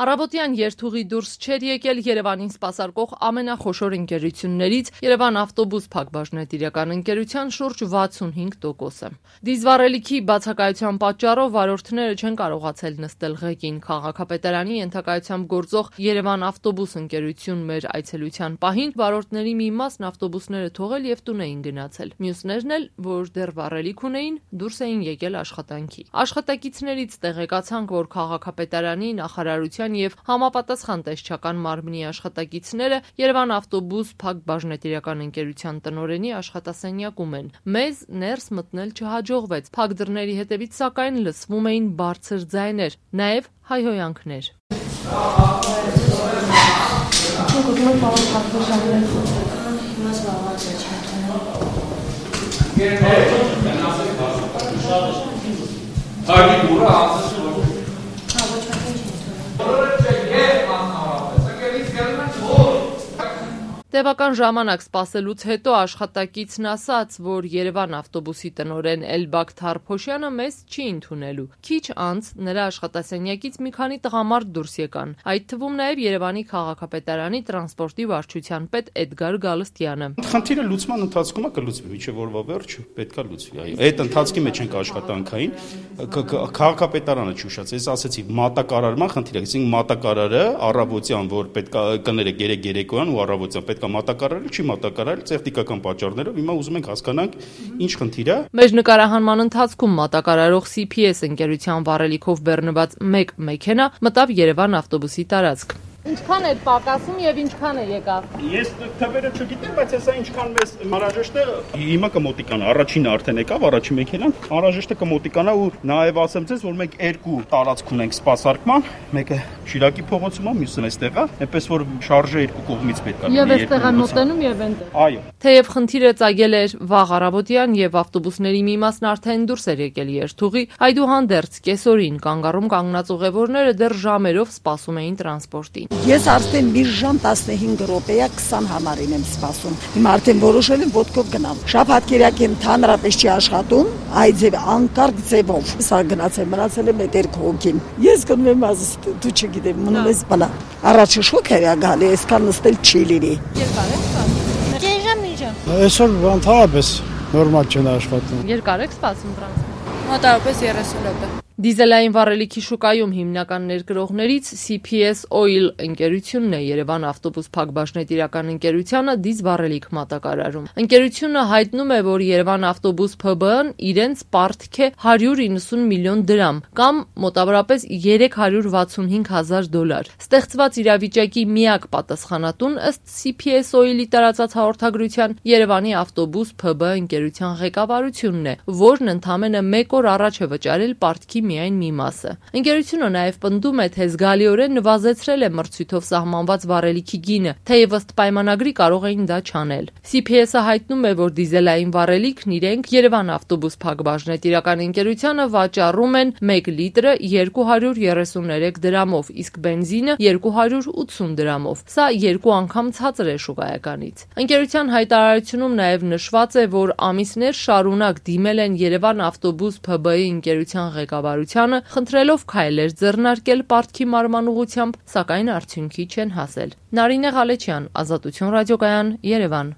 Առավոտյան երթուղի դուրս չէր եկել Երևանին սպասարկող ամենախոշոր ընկերություններից Երևան ավտոբուս փակbaşնետիրական ընկերության շուրջ 65%-ը։ Դիզվառելիքի բացակայության պատճառով վարորդները չեն կարողացել նստել ղեկին։ Քաղաքապետարանի ենթակայությամբ գործող Երևան ավտոբուս ընկերություն մեր այցելության պահին վարորդների մի մասն ավտոբուսները թողել եւ տուն էին գնացել։ Մյուսներն էլ, որ դեռ վառելիք ունեին, դուրս էին եկել աշխատանքի։ Աշխատակիցներից տեղեկացանք, որ քաղաքապետարանի նախարարության եւ համապատասխան տեսչական մարմնի աշխատակիցները Երևան ավտոբուս փակbaşնետիրական ընկերության տնօրենի աշխատասենյակում են։ Մեզ ներս մտնել չհաջողվեց։ Փակ դռների հետևից սակայն լսվում էին բարձր ձայներ, նաեւ հայհոյանքներ։ Տևական ժամանակ սպասելուց հետո աշխատակիցն ասաց, որ Երևան ավտոբուսի տնօրեն Էլբակ Թարփոշյանը մեզ չի ընդունելու։ Քիչ անց նրա աշխատասենյակից մի քանի տղամարդ դուրս եկան, այդ թվում նաև Երևանի քաղաքապետարանի տրանսպորտի վարչության պետ Էդգար Գալստյանը։ Խնդիրը լուծման ընթացքում է կլուծվի, մինչև որվա վերջ պետքա լուծվի, այո։ Այդ ընթացքի մեջ ենք աշխատանքային, քաղաքապետարանը չուշաց, ես ասացի մատակարարման խնդիր է, այսինքն մատակարարը առավոտյան, որ պետքա կներեք երեկոյան ու առավոտյան պետք մատակարարել չի մատակարարել տեխնիկական պատճառներով, հիմա ուզում ենք հասկանանք ինչ խնդիր է։ Մեր նկարահանման ընթացքում մատակարարող CPS ընկերության վառելիքով բեռնված մեկ մեքենա մտավ Երևան ավտոբուսի տարածք։ Ինչքան է պակասում եւ ինչքան է եկավ։ Ես թվերը չգիտեմ, բայց հեսա ինչքան մեզ անհրաժեշտ է, հիմա կմոտիկանա, առաջինը արդեն եկավ, առաջին մեքենան, անհրաժեշտ է կմոտիկանա ու նաեւ ասեմ ձեզ, որ մենք երկու տարածք ունենք սպասարկման, մեկը Շիրակի փողոցում է, մյուսը այստեղ է, այնպես որ շարժը երկու կողմից պետք է լինի։ Եվ այստեղ է մոտենում եւ այնտեղ։ Այո։ Թեև խնդիրը ծագել էր վաղ առավոտյան եւ ավտոբուսների մի մասն արդեն դուրս էր եկել երթուղի, այդուհանդերձ կեսօրին կանգառում կանգնած ուղևորները դեռ ժամերով սպասում էին տրանսպորտին։ Ես արդեն մի ժամ 15 րոպեա 20 համարին եմ սպասում։ Հիմա արդեն որոշել եմ ոտքով գնամ։ Շաբաթ-կիրակի ընդհանրապես չի աշխատում, այ ձև անկարգ ձևով։ Սա գնացել, մնացել եմ այդ երկու հոգին։ Ես գնում եմ ասես դու չգիտեմ, մնում ես բանա։ Առաջը շոկ էր գալի, այսքան նստել չի լինի։ Երկար եք սպասում։ Կես ժամ։ Այսօր ընդհանրապես նորմալ չեն աշխատում։ Երկար եք սպասում տրանսպորտ։ Մոտավորապես 30 րոպե։ Դիզելային վառելիքի շուկայում հիմնական ներգրողներից CPS Oil ընկերությունն է Երևան ավտոբուս փակbaşնետիրական ընկերությանը դիզվառելիք մատակարարում։ Ընկերությունը հայտնում է, որ Երևան ավտոբուս ՓԲ-ն իրենց պարտք է 190 միլիոն դրամ կամ մոտավորապես $365,000։ Ստեղծված իրավիճակի միակ պատասխանատուն ըստ CPS Oil-ի տարածած հաղորդագրության Երևանի ավտոբուս ՓԲ ընկերության ղեկավարությունն է, որն ընդամենը 1 օր առաջ է վճարել պարտքի միայն մի մասը։ Ընկերությունը նաև պնդում է, թե զգալիորեն նվազեցրել է մրցույթով սահմանված վառելիքի գինը, թեև ըստ պայմանագրի կարող էին դա չանել։ CPS-ը հայտնում է, որ դիզելային վառելիքն իրենք Երևան ավտոբուս փակbaşնետիրական ընկերությանը վաճառում են 1 լիտրը 233 դրամով, իսկ բենզինը 280 դրամով։ Սա երկու անգամ ցածր է շուկայականից։ Ընկերության հայտարարությունում նաև նշված է, որ ամիսներ շարունակ դիմել են Երևան ավտոբուս ՓԲ-ի ընկերության ղեկավարությանը, խնդրելով քայլեր ձեռնարկել պարտքի մարման ուղղությամբ, սակայն արդյունքի չեն հասել։ Նարինե Ղալեչյան, Ազատություն ռադիոկայան, Երևան։